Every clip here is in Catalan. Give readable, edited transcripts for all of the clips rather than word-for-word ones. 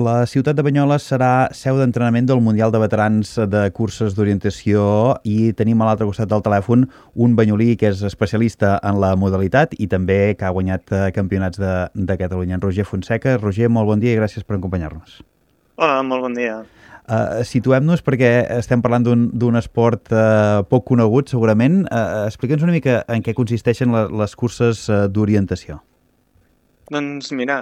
La ciutat de Banyoles serà seu d'entrenament del Mundial de Veterans de Curses d'Orientació i tenim a l'altre costat del telèfon un banyolí que és especialista en la modalitat i també que ha guanyat campionats de Catalunya, en Roger Fonseca. Roger, molt bon dia i gràcies per acompanyar-nos. Hola, molt bon dia. Situem-nos perquè estem parlant d'un esport poc conegut, segurament. Explica'ns una mica en què consisteixen les curses d'orientació. Doncs mira,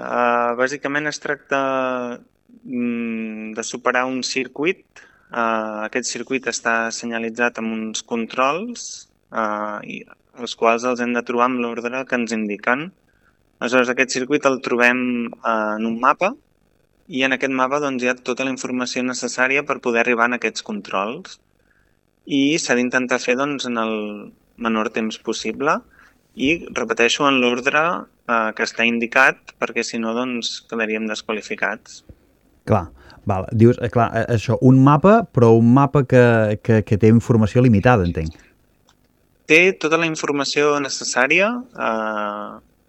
bàsicament es tracta de superar un circuit. Aquest circuit està senyalitzat amb uns controls i els quals els hem de trobar amb l'ordre que ens indiquen. Aleshores, aquest circuit el trobem en un mapa i en aquest mapa doncs, hi ha tota la informació necessària per poder arribar a aquests controls. I s'ha d'intentar fer doncs, en el menor temps possible i, repeteixo, en l'ordre que està indicat, perquè si no doncs, quedaríem desqualificats. Clar, val. Dius, clar, això, un mapa, però un mapa que té informació limitada, entenc. Té tota la informació necessària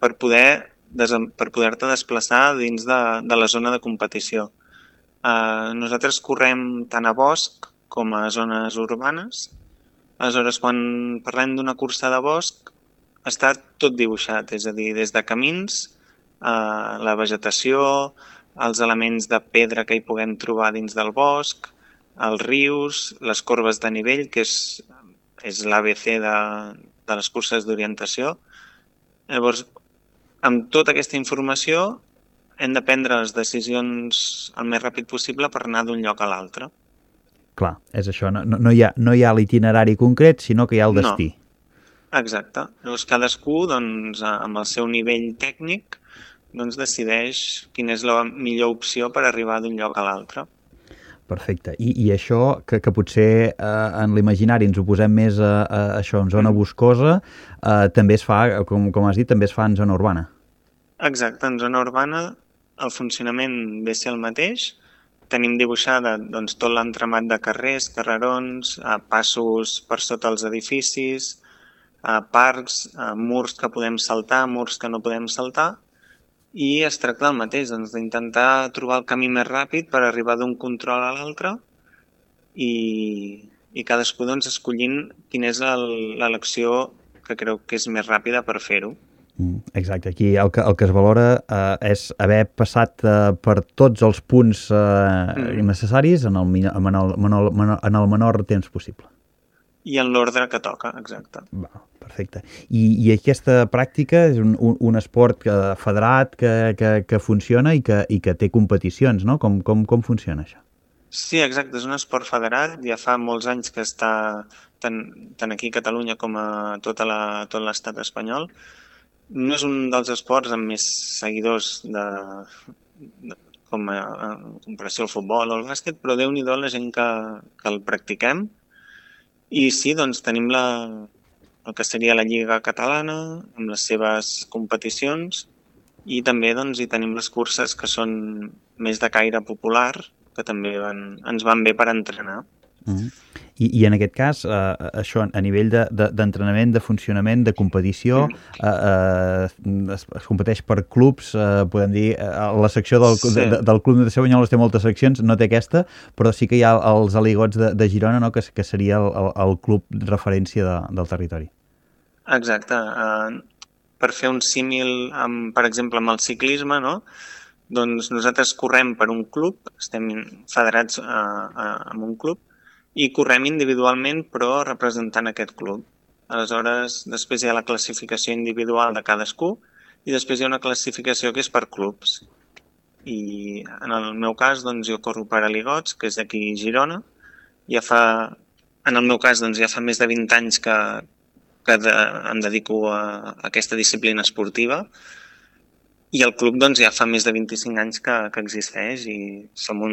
per poder-te desplaçar dins de la zona de competició. Nosaltres correm tant a bosc com a zones urbanes. Aleshores, quan parlem d'una cursa de bosc, està tot dibuixat, és a dir, des de camins, la vegetació, els elements de pedra que hi puguem trobar dins del bosc, els rius, les corbes de nivell, que és l'ABC de les curses d'orientació. Llavors, amb tota aquesta informació hem de prendre les decisions el més ràpid possible per anar d'un lloc a l'altre. Clar, és això, no hi ha l'itinerari concret, sinó que hi ha el destí. No. Exacte. Llavors, cadascú, doncs, amb el seu nivell tècnic, doncs, decideix quina és la millor opció per arribar d'un lloc a l'altre. Perfecte. I això, que potser en l'imaginari ens ho posem més a això, en zona boscosa, també es fa, com has dit, també es fa en zona urbana. Exacte. En zona urbana el funcionament ve a ser el mateix. Tenim dibuixada doncs, tot l'entramat de carrers, carrerons, passos per sota els edificis, parcs, murs que podem saltar, murs que no podem saltar, i es tracta del mateix, doncs, d'intentar trobar el camí més ràpid per arribar d'un control a l'altre i cadascú doncs, escollint quina és l'elecció que creu que és més ràpida per fer-ho. Exacte, aquí el que es valora és haver passat per tots els punts necessaris en el menor temps possible. I en l'ordre que toca, exacte. Va, perfecte. I aquesta pràctica és un esport federat que funciona i que té competicions, no? Com funciona això? Sí, exacte, és un esport federat, ja fa molts anys que està tant aquí a Catalunya com a tot l'estat espanyol. No és un dels esports amb més seguidors com a comparació al futbol o al bàsquet, però Déu-n'hi-do la gent que el practiquem. I sí, doncs tenim el que seria la Lliga Catalana amb les seves competicions i també doncs, hi tenim les curses que són més de caire popular, que també ens van bé per entrenar. I en aquest cas, això a nivell d'entrenament, de funcionament, de competició, es competeix per clubs, podem dir, la secció del Club Natació Banyoles té moltes seccions, no té aquesta, però sí que hi ha els Aligots de Girona, no? que seria el club de referència del territori. Exacte. Per fer un símil, per exemple, amb el ciclisme, no? Doncs nosaltres correm per un club, estem federats en un club, i correm individualment però representant aquest club. Aleshores, després hi ha la classificació individual de cadascú i després hi ha una classificació que és per clubs. I en el meu cas, doncs, jo corro per Aligots, que és d'aquí Girona. En el meu cas, doncs, ja fa més de 20 anys que em dedico a aquesta disciplina esportiva i el club doncs, ja fa més de 25 anys que existeix i som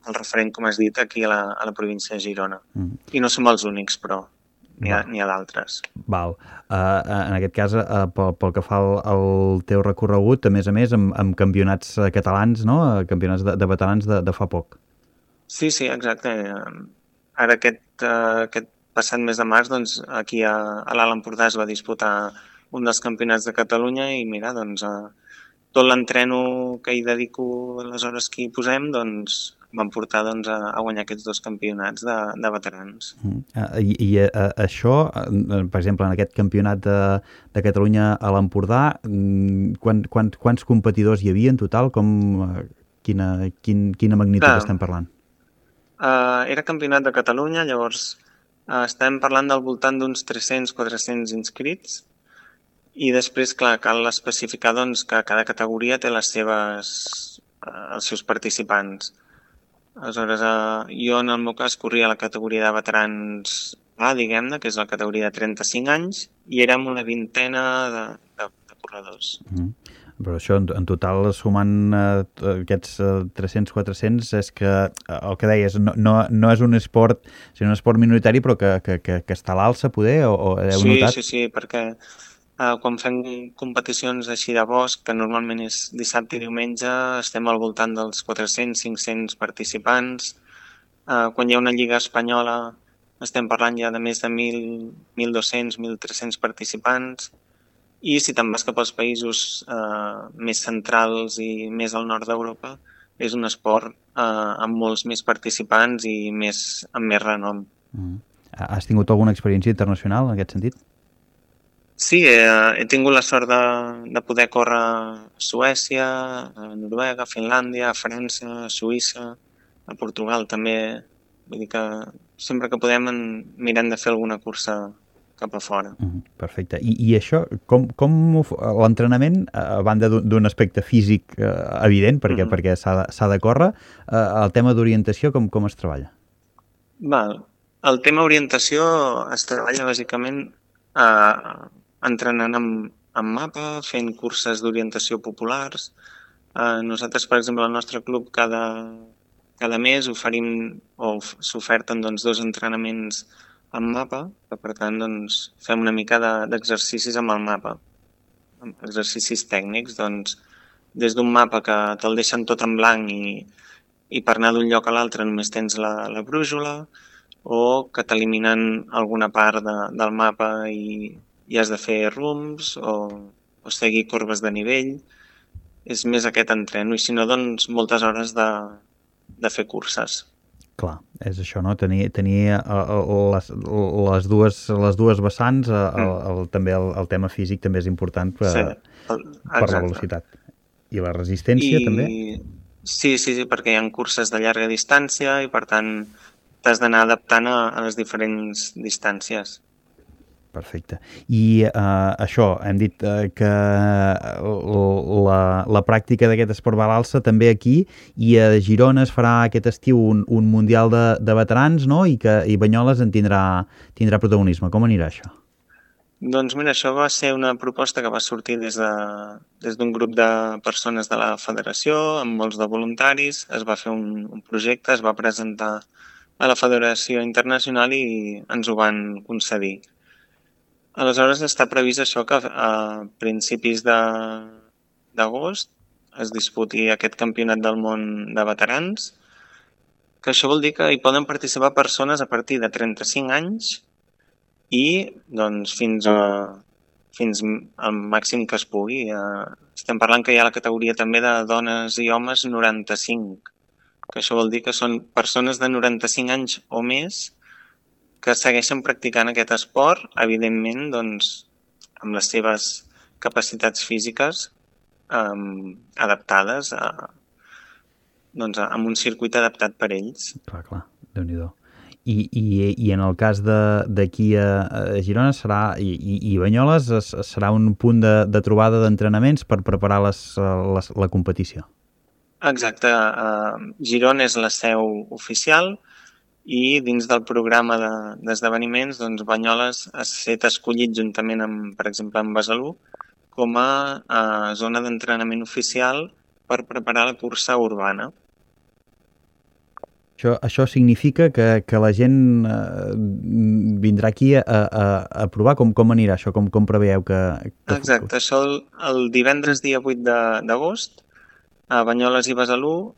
el referent, com has dit, aquí a la província de Girona. I no som els únics, però n'hi ha d'altres. Val. En aquest cas, pel que fa al teu recorregut, a més, amb campionats catalans, no? Campionats de veterans de fa poc. Sí, exacte. Ara aquest passat mes de març, doncs, aquí a l'Alt Empordà es va disputar un dels campionats de Catalunya i mira, doncs, tot l'entreno que hi dedico, les hores que hi posem, doncs van portar a guanyar aquests 2 campionats de veterans. Això, per exemple, en aquest campionat de Catalunya a l'Empordà, quants competidors hi havia en total? Quina magnitud estem parlant? Era campionat de Catalunya, llavors estem parlant del voltant d'uns 300-400 inscrits, i després, clar, cal especificar doncs, que cada categoria té els seus participants. Aleshores, jo en el meu cas corria la categoria de veterans A, diguem-ne, que és la categoria de 35 anys, i érem una vintena de corredors. Però això, en total, sumant aquests 300-400, és que, el que deies, no és un esport, sinó un esport minoritari, però que està a l'alça, poder, o heu notat? Sí, perquè quan fem competicions així de bosc, que normalment és dissabte i diumenge, estem al voltant dels 400-500 participants. Quan hi ha una lliga espanyola, estem parlant ja de més de 1.200, 1.300 participants. I si te'n vas cap als països més centrals i més al nord d'Europa, és un esport amb molts més participants i amb més renom. Has tingut alguna experiència internacional en aquest sentit? Sí, he tingut la sort de poder córrer a Suècia, a Noruega, a Finlàndia, a França, a Suïssa, a Portugal també. Vull dir que sempre que podem mirem de fer alguna cursa cap a fora. Perfecte. I això, com l'entrenament, a banda d'un aspecte físic evident, perquè s'ha de córrer, el tema d'orientació, com es treballa? El tema orientació es treballa bàsicament entrenant amb mapa, fent curses d'orientació populars. Nosaltres, per exemple, al nostre club cada mes oferim o s'oferten 2 entrenaments amb mapa, que per tant fem una mica d'exercicis amb el mapa, exercicis tècnics, des d'un mapa que te'l deixen tot en blanc i per anar d'un lloc a l'altre només tens la brúixola, o que t'eliminen alguna part del mapa i has de fer rums o seguir corbes de nivell. És més aquest entreno, i si no, moltes hores de fer curses. Clar, és això, no? Tenir les dues vessants, també el tema físic també és important per la velocitat. I la resistència també? Sí, perquè hi ha curses de llarga distància i per tant t'has d'anar adaptant a les diferents distàncies. Perfecte. I això, hem dit que la pràctica d'aquest esport va a l'alça també aquí, i a Girona es farà aquest estiu un Mundial de Veterans, no? I Banyoles en tindrà protagonisme. Com anirà això? Doncs mira, això va ser una proposta que va sortir des d'un grup de persones de la federació, amb molts de voluntaris. Es va fer un projecte, es va presentar a la Federació Internacional i ens ho van concedir. Aleshores està previst això, que a principis d'agost es disputi aquest campionat del món de veterans, que això vol dir que hi poden participar persones a partir de 35 anys i fins al màxim que es pugui. Estem parlant que hi ha la categoria també de dones i homes 95, que això vol dir que són persones de 95 anys o més que segueixen practicant aquest esport, evidentment, amb les seves capacitats físiques adaptades, amb un circuit adaptat per ells. Clar, Déu-n'hi-do. I en el cas d'aquí a Girona i Banyoles serà un punt de trobada d'entrenaments per preparar la competició. Exacte. Girona és la seu oficial, i dins del programa d'esdeveniments, Banyoles ha estat escollit juntament per exemple, amb Besalú, com a zona d'entrenament oficial per preparar la cursa urbana. Això significa que la gent vindrà aquí a provar? Com anirà això? Com preveieu que... Exacte, això el divendres dia 8 d'agost, a Banyoles i Besalú,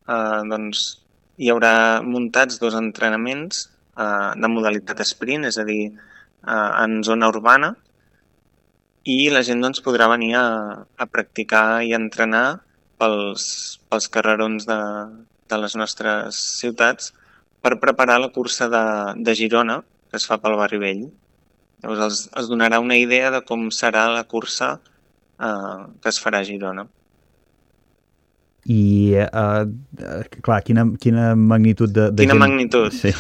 hi haurà muntats 2 entrenaments de modalitat sprint, és a dir, en zona urbana, i la gent doncs, podrà venir a practicar i a entrenar pels carrerons de les nostres ciutats per preparar la cursa de Girona, que es fa pel Barri Vell. Llavors els donarà una idea de com serà la cursa que es farà a Girona. I, clar, quina magnitud de quina gent... magnitud? Sí.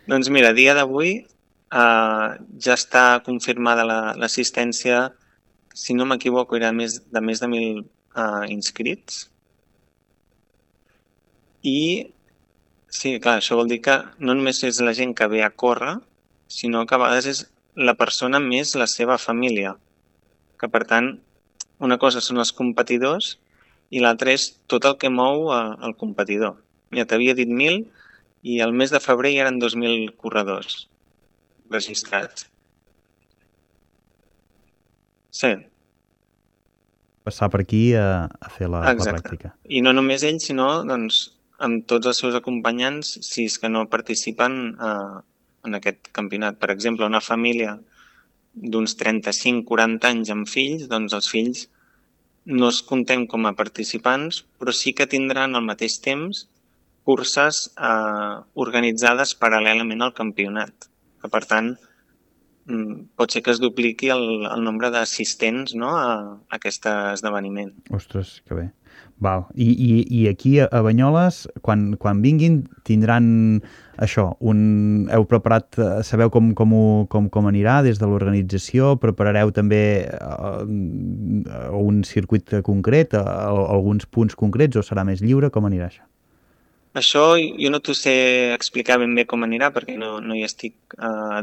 Doncs mira, a dia d'avui ja està confirmada l'assistència, si no m'equivoco, era de més de 1.000 inscrits. I sí, clar, això vol dir que no només és la gent que ve a córrer, sinó que a vegades és la persona més la seva família. Que per tant, una cosa són els competidors i l'altra és tot el que mou el competidor. Ja t'havia dit 1.000 i al mes de febrer hi eren 2.000 corredors registrats. Sí. Passar per aquí a fer la pràctica. I no només ells, sinó doncs, amb tots els seus acompanyants, si és que no participen en aquest campionat. Per exemple, una família d'uns 35-40 anys amb fills, doncs els fills no es contem com a participants, però sí que tindran al mateix temps curses organitzades paral·lelament al campionat. Que, per tant, pot ser que es dupliqui el nombre d'assistents, no, a aquest esdeveniment. Ostres, que bé. Val. I aquí a Banyoles, quan vinguin, tindran això, heu preparat, sabeu com anirà des de l'organització, preparareu també un circuit concret, alguns punts concrets, o serà més lliure, com anirà això? Això jo no t'ho sé explicar ben bé com anirà, perquè no hi estic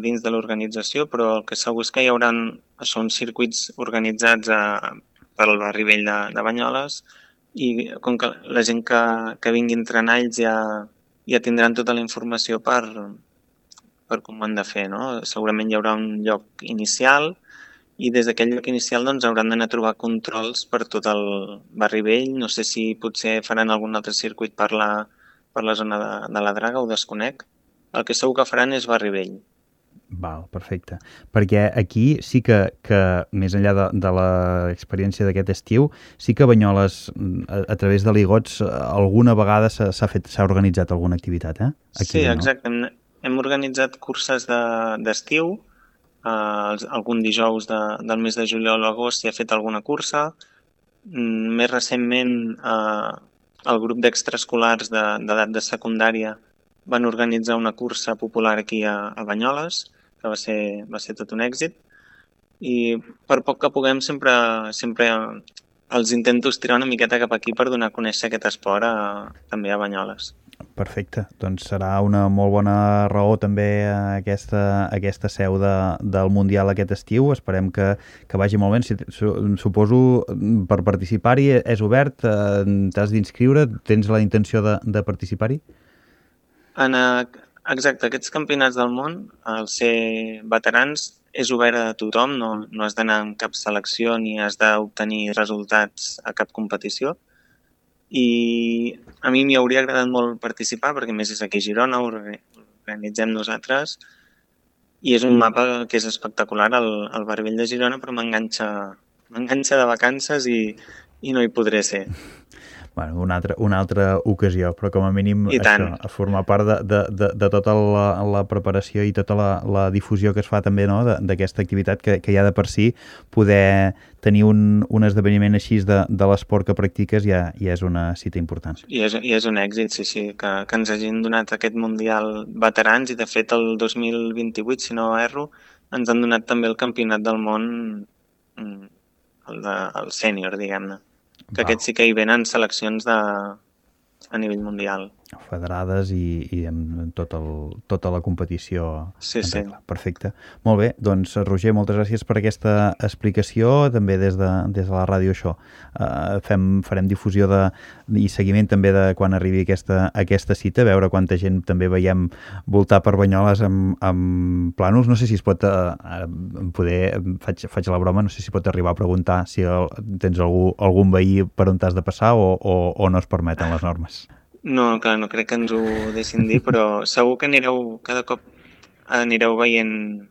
dins de l'organització, però el que segur és que hi haurà uns circuits organitzats pel Barri Vell de Banyoles, i com que la gent que vingui a entrenar ells ja tindran tota la informació per com ho han de fer, no? Segurament hi haurà un lloc inicial i des d'aquell lloc inicial doncs hauran d'anar a trobar controls per tot el Barri Vell. No sé si potser faran algun altre circuit per la zona de la Draga, ho desconec. El que segur que faran és Barri Vell. Val, perfecte. Perquè aquí sí que més enllà de l'experiència d'aquest estiu, sí que Banyoles, a través de l'IGOTS, alguna vegada s'ha organitzat alguna activitat, Aquí, sí, exacte. Hem organitzat curses d'estiu, algun dijous del mes de juliol o agost s'hi ha fet alguna cursa. Més recentment, el grup d'extraescolars d'edat de secundària van organitzar una cursa popular aquí a Banyoles, que va ser tot un èxit, i per poc que puguem sempre els intento estirar una miqueta cap aquí per donar a conèixer aquest esport també a Banyoles. Perfecte, doncs serà una molt bona raó també aquesta seu del Mundial aquest estiu. Esperem que vagi molt bé. Suposo per participar-hi és obert, t'has d'inscriure, tens la intenció de participar-hi? Exacte, aquests campionats del món, al ser veterans, és obert a tothom, no has d'anar en cap selecció ni has d'obtenir resultats a cap competició. I a mi m'hi hauria agradat molt participar, perquè més és aquí a Girona, ho organitzem nosaltres, i és un mapa que és espectacular, el Barri Vell de Girona, però m'enganxa de vacances i no hi podré ser. Bueno, una altra ocasió, però com a mínim això, a formar part de tota la preparació i tota la difusió que es fa també, no?, d'aquesta activitat que ja de per si poder tenir un esdeveniment així de l'esport que practiques ja és una cita important. I és un èxit, sí, que ens hagin donat aquest Mundial veterans, i de fet el 2028, si no erro, ens han donat també el Campionat del Món, el sènior, diguem-ne. Que aquests sí que hi venen seleccions a nivell mundial. Federades i amb tota la competició. Sí. Perfecte. Molt bé, doncs Roger, moltes gràcies per aquesta explicació, també des de la ràdio això. Farem difusió i seguiment també de quan arribi aquesta cita, veure quanta gent també veiem voltar per Banyoles amb plànols. No sé si es pot, faig la broma, no sé si pot arribar a preguntar si tens algun veí per on t'has de passar o no es permeten les normes. No, clar, no crec que ens ho deixin dir, però segur que cada cop anireu veient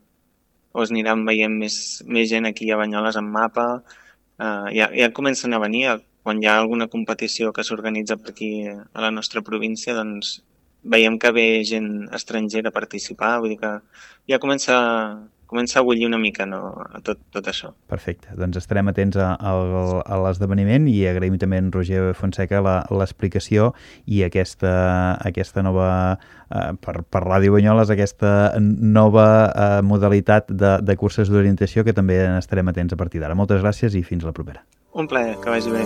o es aniran veient més gent aquí a Banyoles amb mapa. Ja comencen a venir, quan hi ha alguna competició que s'organitza per aquí a la nostra província, doncs veiem que ve gent estrangera a participar, vull dir que ja comença a bullir una mica, no, a tot això. Perfecte, doncs estarem atents a l'esdeveniment i agraïm també a en Roger Fonseca l'explicació i aquesta nova, per Ràdio Banyoles, aquesta nova modalitat de curses d'orientació que també estarem atents a partir d'ara. Moltes gràcies i fins la propera. Un plaer, que vagi bé.